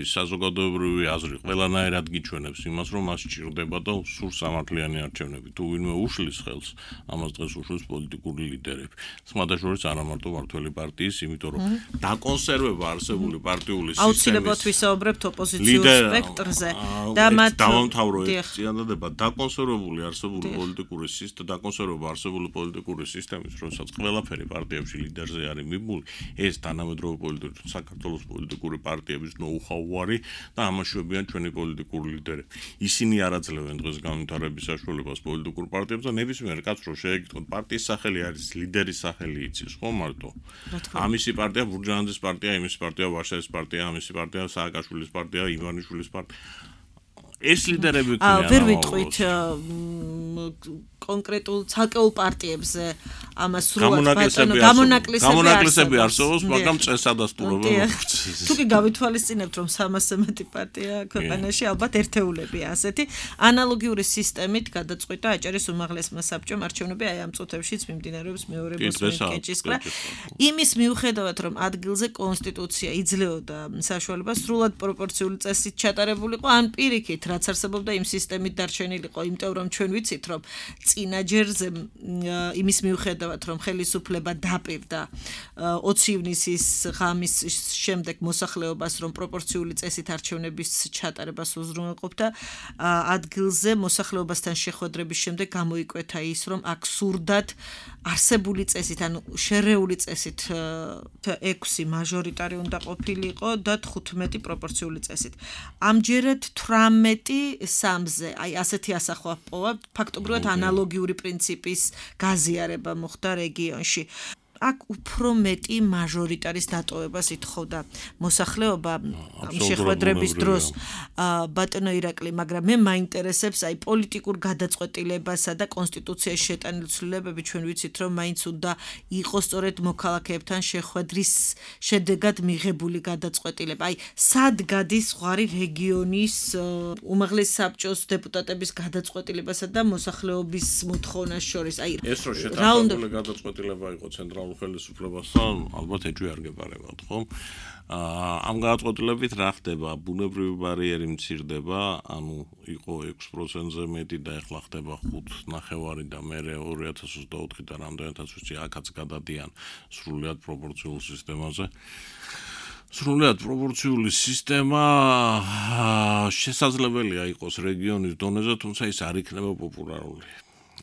საზოგადოებრივი აზრი ყველანაირად გიჩვენებს იმას, რომ მას სჭირდება და სულ სამართლიანი არჩევნები. თუ ვინმე უშლის ხელს, ამას დღეს უშლის პოლიტიკური ლიდერები. სხვადასხვა არა მარტო მართველი პარტიის, იმიტომ რომ დაკონსერვება არსებული პარტიული სისტემის აუცილებლად ვისაუბრებთ ოპოზიციურ სპექტრზე და მათ დავამთავრო ეს წინადადება დაკონსერვებული არსებული პოლიტიკური სისტემა, დაკონსერვება არსებული პოლიტიკური სისტემის, როდესაც ყველაფერი პარტიებში ლიდერზე არის მიბული, ეს თანამედროვე პოლიტიკური საქართველოს პოლიტიკური პარტიების ნოუ-ჰაუ და ამაშვებიან ჩვენი პოლიტიკური ლიდერები. ისინი არ აძლევენ დღეს განვითარების საშუალებას პოლიტიკურ პარტიებს და ნებისმიერ კაცს რო შეეკითხოთ, პარტიის სახელი არის ლიდერის სახელი იცის, ხო მარტო? ამისი პარტია ბურჯანაძის პარტია, იმის პარტია ვარშავის პარტია, ამისი პარტია სააკაშვილის პარტია, ივანიშვილის პარტია. ეს ლიდერები ქვია. ვერ ვიტყვით კონკრეტულ ცალკეულ პარტიებზე ამას სრულად გამონაკლისები არსებობს, მაგრამ წესადასტურება მოხდეს. თუ კი გავითვალისწინებთ, რომ 300-ზე მეტი პარტია ქვეყანაში, ალბათ ერთეულებია ასეთი. ანალოგიური სისტემით გადაწყვიტა აჭარის უმაღლესმა საბჭომ არჩევნები აი ამ წუთებშიც მიმდინარეობს მეორე მოსკენჭისყრა. იმის მიუხედავად, რომ ადგილზე კონსტიტუცია იძლეოდა საშუალებას სრულად პროპორციული წესით ჩატარებულიყო, ან პირიქით, რაც არსებობდა იმ სისტემით დარჩენილიყო, იმიტომ რომ ჩვენ ვიცით, რომ წინაჯერზე იმის მიუხედავად, რომ ხელისუფლება დაპირდა 20 ივნისის ღამის შემდეგ მოსახლეობას, რომ პროპორციული წესით არჩევნების ჩატარებას უზრუნველყოფდა, ადგილზე მოსახლეობასთან შეხვედრების შემდეგ გამოიკვეთა ის, რომ აქ სურდათ არსებული წესით, ანუ შერეული წესით 6 მაჟორიტარი უნდა ყოფილიყო და 15 პროპორციული წესით. ამჯერად 18-3-ზე, აი ასეთი ასახვა პოვა, ფაქტობრივად ანალოგიური პრინციპის გაზიარება მოხდა რეგიონში. აქ უფრო მეტი მაჟორიტარის დატოვებას ითხოვდა მოსახლეობა შეხვედრების დროს ბატონო ირაკლი, მაგრამ მე მაინტერესებს აი პოლიტიკურ გადაწყვეტილებასა და კონსტიტუციაში შეტანილი ცვლილებები, ჩვენ ვიცით, რომ მაინც უნდა იყოს სწორედ მოქალაქეებთან შეხვედრის შედეგად მიღებული გადაწყვეტილება. აი სად გადის ზღვარი რეგიონის უმაღლეს საბჭოს დეპუტატების გადაწყვეტილებასა და მოსახლეობის მოთხოვნას შორის? აი ეს რო შეტანილი გადაწყვეტილება იყო ცენტრალურ ხელისუფლებასთან, ალბათ ეჭვი არ გეპარებათ, ხო? ამ გადაწყვეტილებით რა ხდება? ბუნებრივი ბარიერი მცირდება, ანუ იყო 6%-ზე მეტი და ეხლა ხდება 5.9 და მე 2024-დან რამდენადაც ვიცი, აქაც გადადიან სრულად პროპორციულ სისტემაზე. სრულად პროპორციული სისტემა შესაძლებელია იყოს რეგიონის დონეზე, თუმცა ის არ იქნება პოპულარული.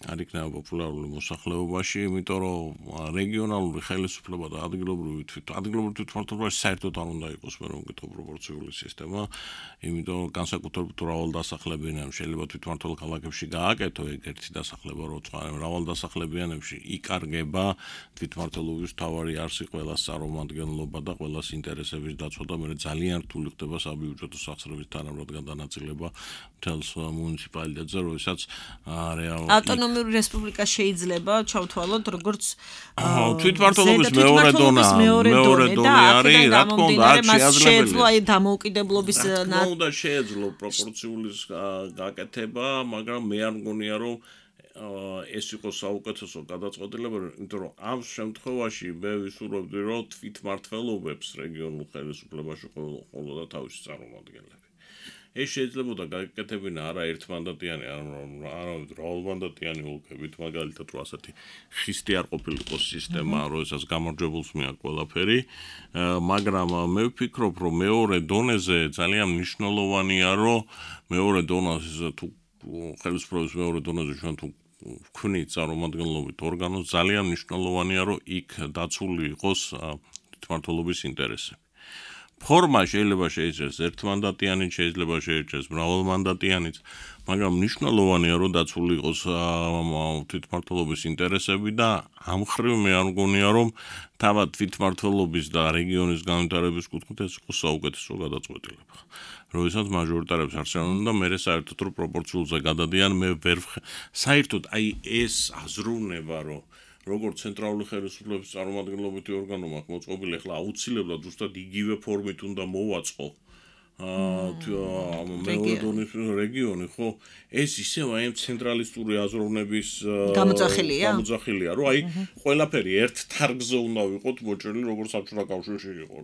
არ იქნება პოპულარული მოსახლეობაში, იმიტომ რომ რეგიონალური ხელისუფლება და ადგილობრივი თვითმმართველობა საერთოდ არ უნდა იყოს მე რომ ვკითხო პროპორციული სისტემა, იმიტომ რომ განსაკუთრებით მრავალდასახლებიანებში შეიძლება თვითმმართველ ქალაქებში გააკეთო ეგ ერთი დასახლება როცა მრავალდასახლებიანებში იკარგება თვითმმართველობის მთავარი არსი ყველას წარმომადგენლობა და ყველას ინტერესების დაცვა და მე ძალიან რთული ხდება საბიუჯეტო სახსრების თანაბრად გადანაწილება მთელს მუნიციპალიტეტზე, როდესაც რეალურად ავტონომიური რესპუბლიკა შეიძლება ჩავთვალოთ როგორც თვითმმართველობის მეორე დონე არის, რა თქმა უნდა, აქ შეეძლო აი დამოუკიდებლობის უნდა შეეძლო პროპორციული გაკეთება, მაგრამ მე არ მგონია რომ ეს იყოს საუკეთესო გადაწყვეტილება, იმიტომ რომ ამ შემთხვევაში მე ვისურვებდი რომ თვითმმართველობებს რეგიონულ ხელისუფლებაში ყოლოდა თავისი წარმომადგენლები. ეს შეიძლებოდა გაკეთებინა არა ერთმანდატიანი, არა მრავალმანდატიანი ოლქებით, მაგალითად რო ასეთი ხისტი არ ყოფილიყო სისტემა, როდესაც გამარჯვებულს მიაქვს ყველაფერი, მაგრამ მე ვფიქრობ, რომ მეორე დონეზე ძალიან მნიშვნელოვანია, რომ მეორე დონეზე თუ ხელისუფლების მეორე დონეზე ჩვენ თუ ვქმნით წარმომადგენლობით ორგანოს, ძალიან მნიშვნელოვანია, რომ იქ დაცული იყოს თვითმმართველობის ინტერესები. ფორმა შეიძლება შეიცვალოს ერთმანდატიანი, შეიძლება შეიცვალოს მრავალმანდატიანიც, მაგრამ მნიშვნელოვანია რომ დაცული იყოს თვითმმართველობის ინტერესები და ამ ხრივ მე არ მგონია რომ თავად თვითმმართველობის და რეგიონის განვითარების კუთხით ეს იყოს საუკეთესო გადაწყვეტილება. როდესაც მაჟორიტარებს არჩევენ და მე საერთოდ რო პროპორციულზე გადადიან, მე ვერ საერთოდ აი ეს აზროვნება, რომ როგორც ცენტრალური ხელისუფლების წარმომადგენლობითი ორგანო მაქვს მოწყობილი, ახლა აუცილებლად ზუსტად იგივე ფორმით უნდა მოვაწყო რეგიონი, ხო, ეს ისევ აი ცენტრალისტური აზროვნების გამოძახილია, რომ აი ყველაფერი ერთ თარგზე უნდა ვიყოთ მოჭრილი, როგორც საბჭოთა კავშირში იყო.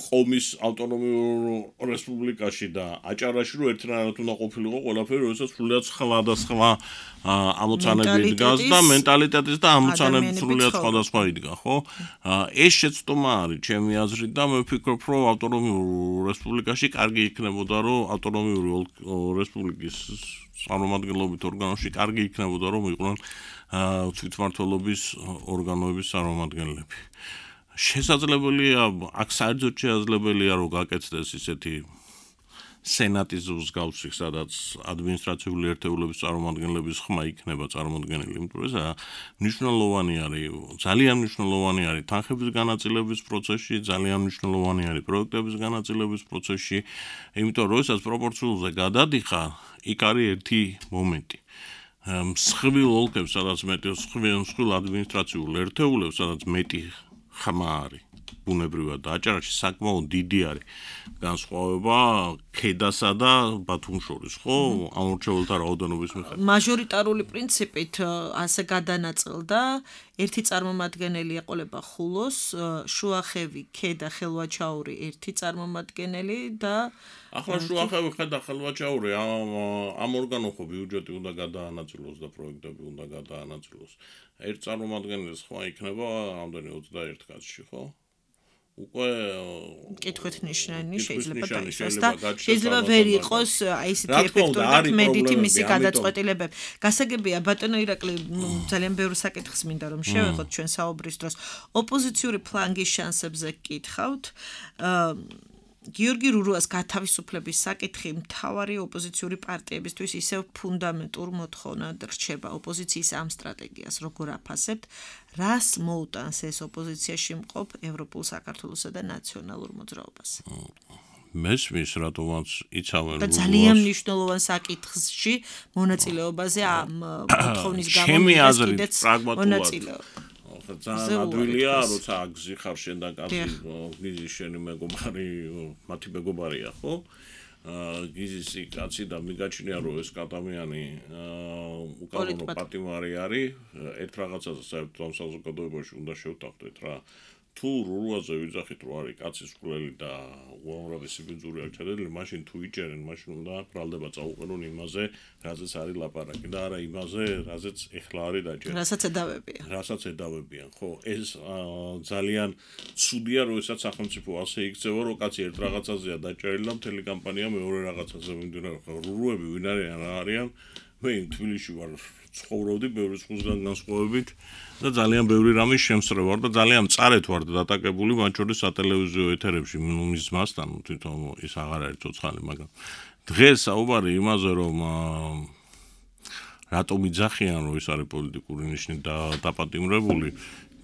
ყომის ავტონომიურ რესპუბლიკაში და აჭარაში რომ ერთნაირად უნდა ყოფილიყო ყველაფერი, როდესაც სრულიად სხვა და სხვა ამოცანები იდგას და მენტალიტეტის და ამოცანები სრულიად სხვადასხვა იდგა, ხო? ეს შეცდომა არის ჩემი აზრით და მე ვფიქრობ, რომ ავტონომიურ რესპუბლიკაში კარგი იქნებოდა, რომ ავტონომიური რესპუბლიკის წარმომადგენლობით ორგანოში კარგი იქნებოდა, რომ იყვნენ თვითმმართველობის ორგანოების წარმომადგენლები. შესაძლებელია, აქ საერთოდ შესაძლებელია, რომ გაკეთდეს ისეთი სენატის მსგავსი, სადაც ადმინისტრაციული ერთეულების წარმომადგენლების ხმა იქნება წარმოდგენილი, იმიტომ რომ მნიშვნელოვანი არის, ძალიან მნიშვნელოვანი არის თანხების განაწილების პროცესში, ძალიან მნიშვნელოვანი არის პროექტების განაწილების პროცესში, იმიტომ რომ როდესაც პროპორციულზე გადადიხარ, იქ არის ერთი მომენტი. მსხვილ ოლქებს, სადაც მეტი მსხვილ ადმინისტრაციულ ერთეულებს, სადაც მეტი ხმა არის. ბუნებრივად და აჭარაში საკმაოდ დიდი არის განსხვავება ქედასა და ბათუმს შორის, ხო? ამორჩეულთა რაოდენობის მიხედვით. მაჟორიტარული პრინციპით ასე გადანაწილდა, ერთი წარმომადგენელი ეყოლება ხულოს, შუახევი, ქედა, ხელვაჩაური ერთი წარმომადგენელი და ახლა შუახევი, ქედა, ხელვაჩაური ამ ორგანო ხო ბიუჯეტი უნდა გადაანაწილოს და პროექტები უნდა გადაანაწილოს. ერთ წარმომადგენლის ხმა იქნება ამდენი 21 კაცში, ხო? უკვე კითხვით ნიშნანი შეიძლება დაისვას და შეიძლება ვერ იყოს აი ესეთი ეფექტური და კმედითი მისი გადაწყვეტილებები. გასაგებია ბატონო ირაკლი, ძალიან ბევრი საკითხს მინდა რომ შევეხოთ ჩვენ საუბრის დროს. ოპოზიციური ფლანგის შანსებზე გკითხავთ. გიორგი რურუას გათავისუფლების საკითხი მთავარი ოპოზიციური პარტიებისთვის ისევ ფუნდამენტურ მოთხოვნად რჩება. ოპოზიციის ამ სტრატეგიას როგორ აფასებთ? რას მოუტანს ეს ოპოზიციაში მყოფ ევროპულ საქართველოსა და ნაციონალურ მოძრაობას? მესმის რატომაც იცავენ და ძალიან მნიშვნელოვან საკითხში მონაწილეობაზე ამ მოთხოვნის გამო კიდეც მონაწილეობა. ძალიან ადვილია, როცა აგზიხარ შენ და კაცი გიზის შენი მეგობარი, მათი მეგობარია, ხო? გიზის კაცი და მიგაჩნია, რომ ეს კატამიანი უკანონო პატიმარი არის, ერთ რაღაცაზე საერთოდ ამ საზოგადოებაში უნდა შევთანხმდეთ რა. თუ რუაზე ვიძახით, რომ არის კაცის მკვლელი და უამრავი ბინძური აქვს ჩადენილი, მაშინ თუ იჭერენ, მაშინ უნდა ბრალდება წაუყენონ იმაზე, რაზეც არის ლაპარაკი და არა იმაზე, რაზეც ეხლა არის დაჭერილი. რასაც ედავებიან, ხო? ეს ძალიან ცუდია, როდესაც სახელმწიფო ასე იქცევა, რომ კაცი ერთ რაღაცაზეა დაჭერილი და მთელი კამპანია მეორე რაღაცაზე მიმდინარეობს. რუები ვინ არიან? მე თბილისში ვარ, ცხოვრობდი ბევრი სხვისგან განსხვავებით და ძალიან ბევრი რამის შემსწრე ვარ და ძალიან მწარეთ ვარ დატაკებული მათ შორის სატელევიზიო ეთერებში მის მასთან თვითონ ის აღარ არის ცოცხალი, მაგრამ დღეს საუბარი იმაზე რომ რატომ იძახიან რომ ის არის პოლიტიკური ნიშნით დაპატიმრებული,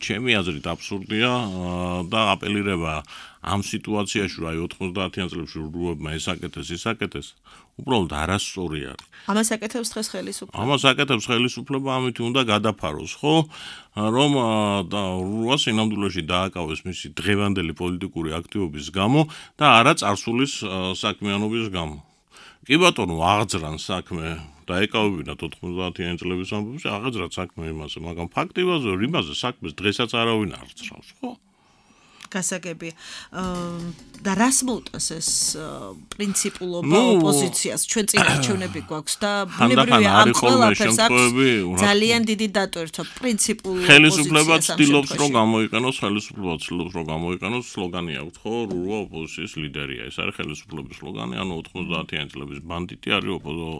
ჩემი აზრით აბსურდია და აპელირება ამ სიტუაციაში რომ აი 90-იან წლებში რუებმა ისაკეთეს, უბრალოდ არასწორი არის. ამას აკეთებს დღეს ხელისუფლება. ამას აკეთებს ხელისუფლება, ამით უნდა გადაფაროს, ხო? რომ რუას ინამდვილეში დააკავეს მისი დღევანდელი პოლიტიკური აქტივობის გამო და არა წარსულის საქმიანობის გამო. კი ბატონო, აღძრან საქმე დაეკავებინათ 90-იან წლების ამბებში, აღძრათ საქმე იმაზე, მაგრამ ფაქტობრივად იმაზე საქმეს დღესაც არავინ არ აცრავს, ხო? გასაგებია. და რას მოუტანს ეს პრინციპულობა ოპოზიციას? ჩვენ წინ არჩევნები გვაქვს და ბუნებრივია ამ ყველაფერს აქვს ძალიან დიდი დატვირთვა პრინციპულ ოპოზიციას. ხელისუფლება ცდილობს რომ გამოიყენოს სლოგანი აქვს, ხო? რუა ოპოზიციის ლიდერია. ეს არის ხელისუფლების სლოგანი, ანუ 90-იან წლების ბანდიტი არის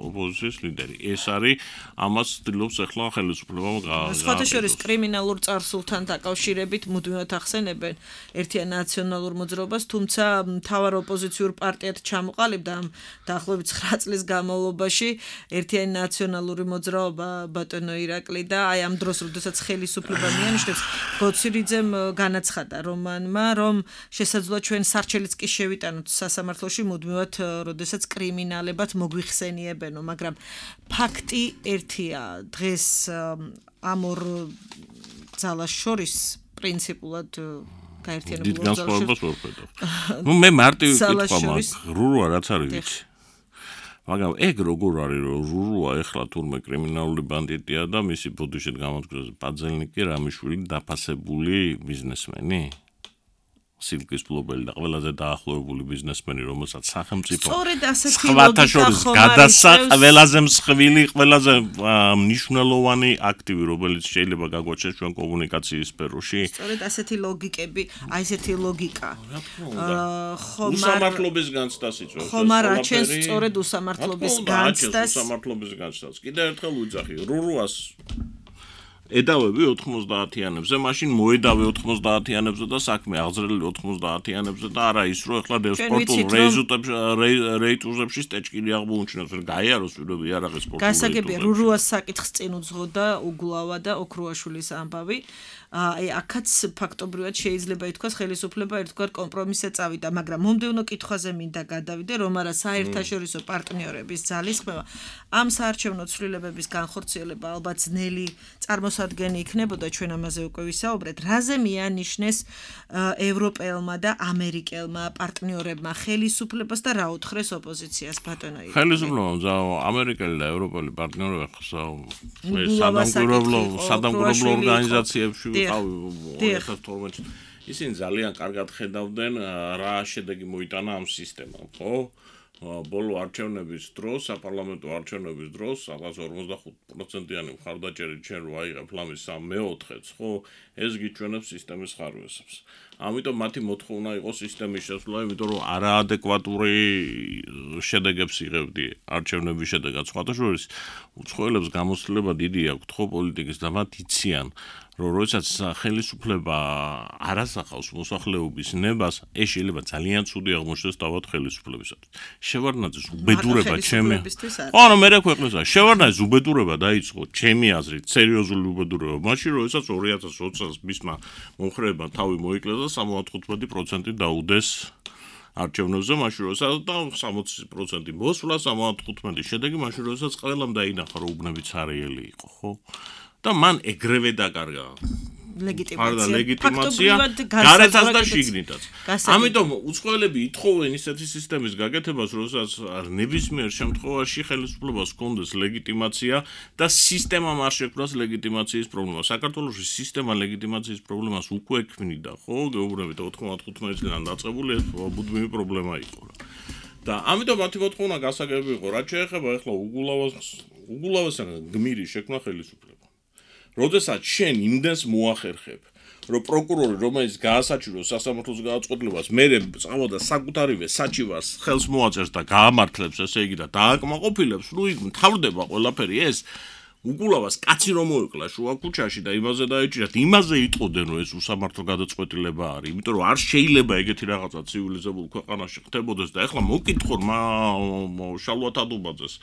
ოპოზიციის ლიდერი. ეს არის ამას ცდილობს ახლა ხელისუფლება სხვათა შორის კრიმინალურ წარსულთან დაკავშირებით მუდმივად ახსენებენ ერთიან ნაციონალურ მოძრაობას, თუმცა მთავარ ოპოზიციურ პარტიად ჩამოყალიბდა ამ დაახლოებით 9 წლის განმავლობაში ერთიანი ნაციონალური მოძრაობა ბატონო ირაკლი და აი ამ დროს, როდესაც ხელისუფლება მიანიშნებს, გოცირიძემ განაცხადა რომანმა, რომ შესაძლოა ჩვენ სარჩელიც კი შევიტანოთ სასამართლოში მუდმივად, როდესაც კრიმინალებად მოგვიხსენიებენო, მაგრამ ფაქტი ერთია, დღეს ამ ორ ძალას შორის პრინციპულად გაერთიანებულ განსხვავებას ვერ ხედავ. მე მარტივი კითხვა მაქვს, რურუა რაც არის ვიცი. მაგრამ ეგ როგორ არის, რომ რურუა ეხლა თურმე კრიმინალური ბანდიტია და მისი ბოდიშით გამოდგეს პაძელნიკი რამიშვილი დაფასებული ბიზნესმენი? სილკის ფლობელი და ყველაზე დაახლოებული ბიზნესმენი, რომელსაც სახელმწიფო სხვათა შორის გადასცა ყველაზე მსხვილი, ყველაზე მნიშვნელოვანი აქტივი, რომელიც შეიძლება გაგვაჩნდეს ჩვენ კომუნიკაციის სფეროში. სწორედ ასეთი ლოგიკები, აი ესეთი ლოგიკა. უსამართლობის განცდას იწვევს. ხომ არ აჩენს სწორედ უსამართლობის განცდას. უსამართლობის განცდას. კიდევ ერთხელ ვიძახი, რურუას ედავები 90-იანებზე, მაშინ მოედავე 90-იანებზე და საქმე აღზრდილი 90-იანებზე და არა ის, რომ ეხლა სპორტულ რეიტურებში სტეჭკილი აღმოუჩინოს, რომ გაიაროს პირობი იარაღის სპორტულ რეიტურებში. გასაგებია, რურუას საკითხს წინ უძღოდა უგულავა და ოქრუაშვილის ამბავი. აი აქაც ფაქტობრივად შეიძლება ითქვას ხელისუფლება ერთგვარ კომპრომისზე წავიდა, მაგრამ მომდევნო კითხვაზე მინდა გადავიდე, რომ არა საერთაშორისო პარტნიორების ძალისხმევა ამ საარჩევნო ცვლილებების განხორციელება ალბათ ძნელი წარმოსადგენი იქნებოდა, ჩვენ ამაზე უკვე ვისაუბრეთ, რაზე მიანიშნეს ევროპელმა და ამერიკელმა პარტნიორებმა ხელისუფლებას და რა უთხრეს ოპოზიციას ბატონო ირაკლი. ხელისუფლებამ ამერიკელი და ევროპელი პარტნიორები სადამკვირვებლო ორგანიზაციებში ვიყავი 2012 ისინი ძალიან კარგად ხედავდნენ რა შედეგი მოიტანა ამ სისტემამ, ხო? ბოლო არჩევნების დროს, საპარლამენტო არჩევნების დროს, 45%-იანი მხარდაჭერით ჩვენ რო აიღებ ლამის 3/4-ს, ხო? ეს გიჩვენებს სისტემის ხარვესებს. ამიტომ მათი მოთხოვნა იყო სისტემის შესრულება, იმიტომ რომ არაადეკვატური შედეგებს იღებდი არჩევნების შედეგად. სხვათა შორის, უცხოელებს გამოცდილება დიდი აქვთ, ხო, პოლიტიკის და მათ იციან, რომ როდესაც ხელისუფლება არ ასახავს მოსახლეობის ნებას, ეს შეიძლება ძალიან ცუდი აღმოჩნდეს თავად ხელისუფლებისათვის. შევარდნაძის უბედურება ჩემი. ანუ მე ქვეყნისა, შევარდნაძის უბედურება დაიწყო ჩემი აზრით, სერიოზული უბედურება. მაშინ როდესაც 2020 წელს მისმა მომხრეებმა თავი მოიკლეს და 75% დაუდეს არჩევნებზე, მაშინ როდესაც და 60% მოსვლა 75 შედეგი, მაშინ როდესაც ყველამ დაინახა, რომ უბნებიც არიელი იყო, ხო? და მან ეგრევე დაკარგა ლეგიტიმაცია გარეთაც და შიგნითაც. ამიტომ უცხოელები ითხოვენ ისეთი სისტემის გაკეთებას, როდესაც ნებისმიერ შემთხვევაში ხელისუფლებას ჰქონდეს ლეგიტიმაცია და სისტემამ არ შექმნას ლეგიტიმაციის პრობლემა. საქართველოში სისტემა ლეგიტიმაციის პრობლემას უკვე ექმნიდა, ხო? გეუბნებით 95 წლიდან დაწყებული ეს მუდმივი პრობლემა იყო. და ამიტომ მათი მოთხოვნა გასაგები იყო, რაც შეეხება ახლა უგულავასთან გმირი შექმნა ხელისუფლება. როდესაც შენ იმდენს მოახერხებ, რომ პროკურორი, რომელიც გაასაჩივროს სასამართლოს გადაწყვეტილებას, მერე წავოდა საკუთარივე საჩივარს ხელს მოაწერს და გაამართლებს, ესე იგი და დააკმაყოფილებს, ნუ იქ მთავრდება ყველაფერი ეს. უგულავას კაცი რომ მოეკლა შუა ქუჩაში და იმაზე დაეჭირათ, იმაზე იტყოდნენ, რომ ეს უსამართლო გადაწყვეტილება არის, იმიტომ რომ არ შეიძლება ეგეთი რაღაცა ცივილიზებულ ქვეყანაში ხდებოდეს და ეხლა მოკითხონ შალვა თადუბაძეს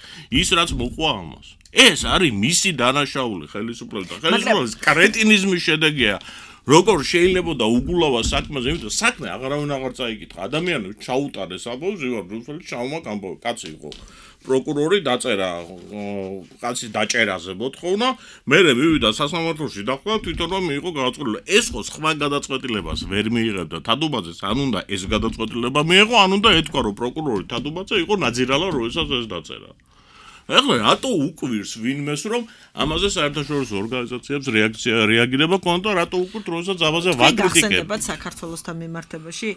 ის რაც მოყვა ამას. ეს არის მისი დანაშაული ხელისუფლების და ხელისუფლების კრეტინიზმის შედეგია. როგორ შეიძლება და უგულავას საქმეზე, იმიტომ საქმე აღარავინ აღარ წაიკითხა. ადამიანებს ჩაუტარეს ამბავს, ვარ რუსული ჩავმა კაცი იყო. პროკურორი დაწერა კაცის დაჭერაზე მოთხოვნა, მერე მივიდა სასამართლოში დახვდა თვითონ რომ მიიღო გადაწყვეტილება. ეს ხო სხვა გადაწყვეტილებას ვერ მიიღებდა თადუბაძეს, ან უნდა ეს გადაწყვეტილება მიიღო, ან უნდა ეთქვა რომ პროკურორი თადუბაძე იყო ნაძირალა, როდესაც ეს დაწერა. ეხლა რატო უკვირს ვინმეს რომ ამაზე საერთაშორისო ორგანიზაციებს რეაგირება ქონდა, რატო უკვირთ როდესაც ამაზე ვაკრიტიკებთ. გახსენებათ საქართველოსთან მიმართებაში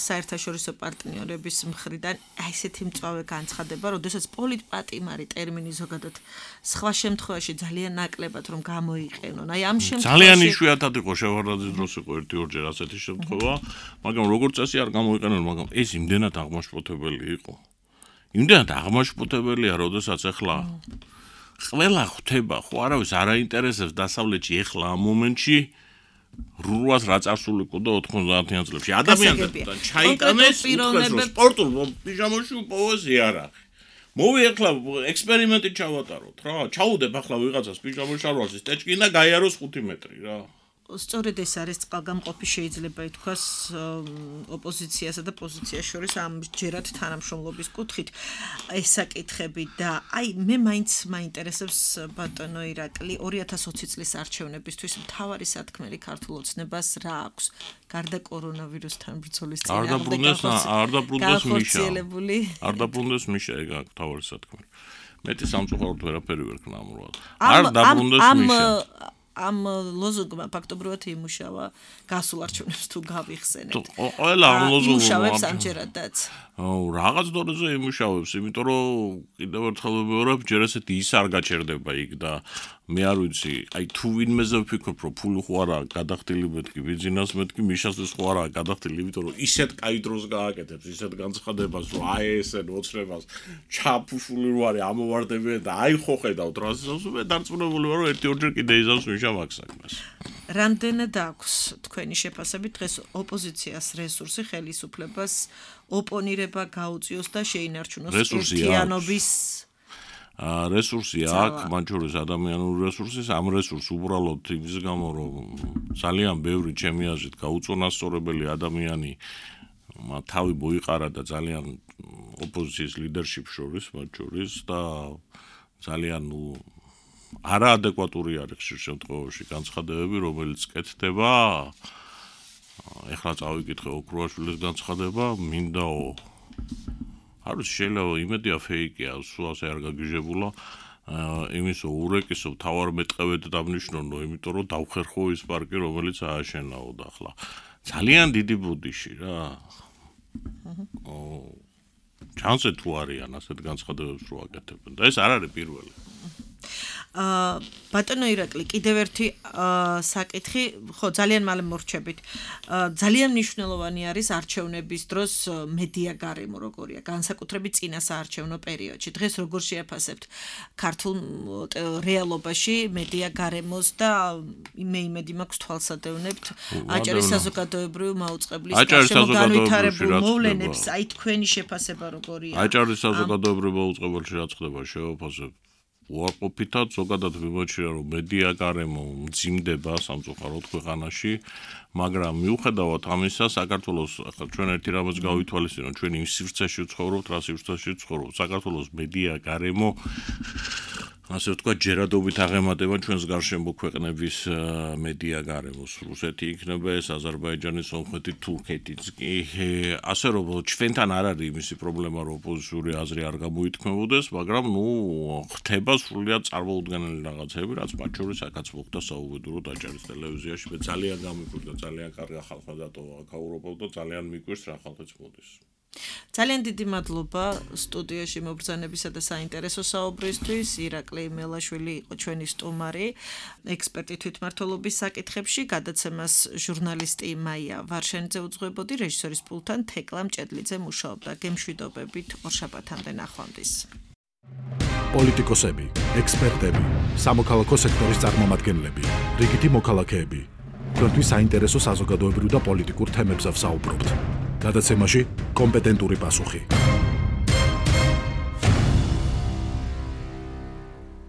საერთაშორისო პარტნიორების მხრიდან ესეთი მწვავე განცხადება, როდესაც პოლიტპატიმარი ტერმინი ზოგადად სხვა შემთხვევაში ძალიან ნაკლებად რომ გამოიყენონ. აი ამ შემთხვევაში ძალიან იშვიათად იყო შევარდნაძის დროს იყო 1-2 ასეთი შემთხვევა, მაგრამ როგორც წესი არ გამოიყენონ, მაგრამ ეს იმდენად აღმაშფოთებელი იყო. იმდენად აღმაშფოთებელია, როდესაც ახლა ყველა ხვდება, ხო არავის არ აინტერესებს დასავლეთში ახლა ამ მომენტში რუას რა წარსულიყო და 90-იან წლებში ადამიანებთან ჩაიტანეს სპორტულ პიჟამაში უპოვეს იარაღი. მოვი ახლა ექსპერიმენტი ჩავატაროთ რა. ჩაუდებ ახლა ვიღაცას პიჟამაში არვას ტეჭკი და გაიაროს 5 მეტრი რა. სწორედ ეს არის წყალგამყოფი შეიძლება ითქვას ოპოზიციასა და პოზიციას შორის ამ ჯერად თანამშრომლობის კუთხით ეს საკითხები და აი მე მაინც მაინტერესებს ბატონო ირაკლი 2020 წლის არჩევნებისთვის მთავარი სათქმელი ქართულ ოცნებას რა აქვს გარდა კორონავირუსთან ბრძოლის წინააღმდეგ არ დაბრუნდეს მიშა ეგ აქვს მთავარი სათქმელი მეტი სამწუხაროდ ვერაფერი ვერ ქნამრულად არ დაბრუნდეს მიშა ამ ლოზუნგმა ფაქტობრივად იმუშავა გასულ არჩევნებს თუ გავიხსენეთ. ყველა ამ ლოზუნგმა იმუშავებს ამჯერადაც. რაღაც დონეზე იმუშავებს, იმიტომ რომ კიდევ ერთხელ ვიმეორებ, ჯერ ესეთი ის არ გაჩერდება იქ და მე არ ვიცი, აი თუ ვინმეზე ვფიქრობ, რომ ფული ხო არა გადახდილი მეთქი, ბიზნეს მეთქი, მიშასთვის ხო არა გადახდილი, იმიტომ რომ ისეთ კაი დროს გააკეთებს, ისეთ განცხადებას, რომ აი ესენ ოცნებას ჩაფუშული რო არის ამოვარდებიან და აი ხო ხედავთ რა ზავს, მე დარწმუნებული ვარ, რომ ერთი-ორჯერ კიდე იზავს მიშა მაქსაკმას. რამდენად აქვს თქვენი შეფასებით დღეს ოპოზიციას რესურსი ხელისუფლებას ოპონირება გაუწიოს და შეინარჩუნოს ერთიანობის რესურსი აქვს, მათ შორის ადამიანური რესურსი, ამ რესურსს უბრალოდ იმის გამო, რომ ძალიან ბევრი ჩემი აზრით გაუწონასწორებელი ადამიანი თავი მოიყარა და ძალიან ოპოზიციის ლიდერშიპ შორის, მათ შორის და ძალიან არაადეკვატური არის ხშირ შემთხვევაში განცხადებები, რომელიც კეთდება. ეხლა წავიკითხე ოქროაშვილის განცხადება, მინდაო არ ვიცი შეიძლება იმედია ფეიკია, სულ ასე არ გაგიჟებულა. იმისო ურეკისო თავარ მეტყევედ დამნიშნონო, იმიტომ რომ დავხერხო ის პარკი, რომელიც ააშენაო და ახლა ძალიან დიდი ბუდიში რა. ჩანს თუ არიან ასეთ განცხადებებს რო აკეთებენ და ეს არ არის პირველი. ბატონო ირაკლი კიდევ ერთი საკითხი ხო ძალიან მალე მორჩებით ძალიან მნიშვნელოვანი არის არჩევნების დროს მედია გარემო როგორია განსაკუთრებით წინა საარჩევნო პერიოდში დღეს როგორ შეაფასებთ ქართულ რეალობაში მედია გარემოს და მე იმედი მაქვს თვალსადევნებთ აჭარის საზოგადოებრივი მაუწყებლის განვითარებულ მოვლენებს აი თქვენი შეფასება როგორია აჭარის საზოგადოებრივი მაუწყებელში რაც ხდება შევაფასებ უარყოფითად ზოგადად ვიმოჩნია რომ მედია გარემო მძიმდება სამწუხაროდ ქვეყანაში მაგრამ მიუხედავად ამისა საქართველოს ახლა ჩვენ ერთი რამაც გავითვალისწინოთ ჩვენ იმ სივრცეში ვცხოვრობთ რა სივრცეში ვცხოვრობთ საქართველოს მედია გარემო ასე ვთქვათ ჯერადობით აღემატება ჩვენს გარშემო ქვეყნების მედია გარემოს რუსეთი იქნება ეს აზერბაიჯანი სომხეთი თურქეთიც კი ასე რომ ჩვენთან არ არის იმისი პრობლემა რომ ოპოზიციური აზრი არ გამოითქმებოდეს მაგრამ ნუ ხდება სრულიად წარმოუდგენელი რაღაცები რაც მათ შორის აქაც მოხდა საუბედუროდ აჭარის ტელევიზიაში მე ძალიან გამიკვირდა ძალიან კარგი ხალხმა დატოვა აქაურობავ და ძალიან მიკვირს რა ხალხიც მოდის ძალიან დიდი მადლობა სტუდიაში მობრძანებისა და საინტერესო საუბრისთვის. ირაკლი მელაშვილი იყო ჩვენი სტუმარი, ექსპერტი თვითმმართველობის საკითხებში, გადაცემას ჟურნალისტი მაია ვარშენიძე უძღვებოდი, რეჟისორის პულტთან თეკლა მჭედლიძე მუშაობდა. გემშვიდობებით ორშაბათამდე ნახვამდის. პოლიტიკოსები, ექსპერტები, სამოქალაქო სექტორის წარმომადგენლები, რიგითი მოქალაქეები. თქვენთვის საინტერესო საზოგადოებრივ და პოლიტიკურ თემებზე ვსაუბრობთ. გადაცემაში კომპეტენტური პასუხი.